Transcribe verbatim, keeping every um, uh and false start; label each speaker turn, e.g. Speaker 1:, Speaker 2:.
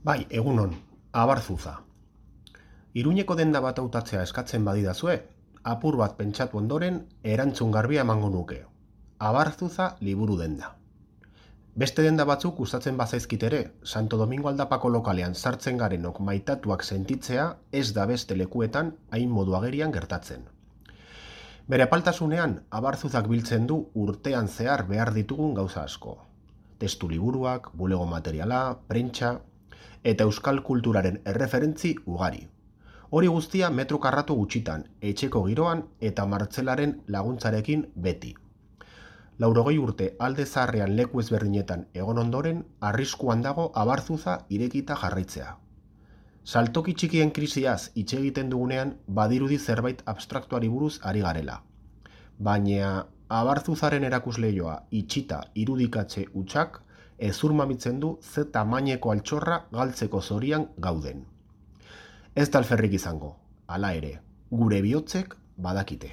Speaker 1: Bai, egunon, abarzuza. Iruñeko denda bat hautatzea eskatzen badidazue, apur bat pentsatu ondoren erantzun garbia emango nuke. Abarzuza liburu denda. Beste denda batzuk gustatzen bazaizkit ere, Santo Domingo aldapako lokalean sartzen garenok maitatuak sentitzea ez da beste lekuetan hain modu agerian gertatzen. Bere apaltasunean, abarzuzak biltzen du urtean zehar behar ditugun gauza asko. Testu liburuak, bulego materiala, prentsa, eta euskal kulturaren erreferentzi ugari. Hori guztia metro karratu gutxitan, etxeko giroan eta martzelaren laguntzarekin beti. Laurogei urte alde zaharrean leku ezberdinetan egon ondoren, arriskuan dago abarzuza irekita jarraitzea. Saltoki txikien krisiaz hitz egiten dugunean badirudi zerbait abstraktuari buruz ari garela. Baina abarzuzaren erakusleioa itxita irudikatze hutsak ezur mamitzen du ze tamaineko altxorra galtzeko zorian gauden. Ez da alferrik izango, hala ere, gure bihotzek badakite.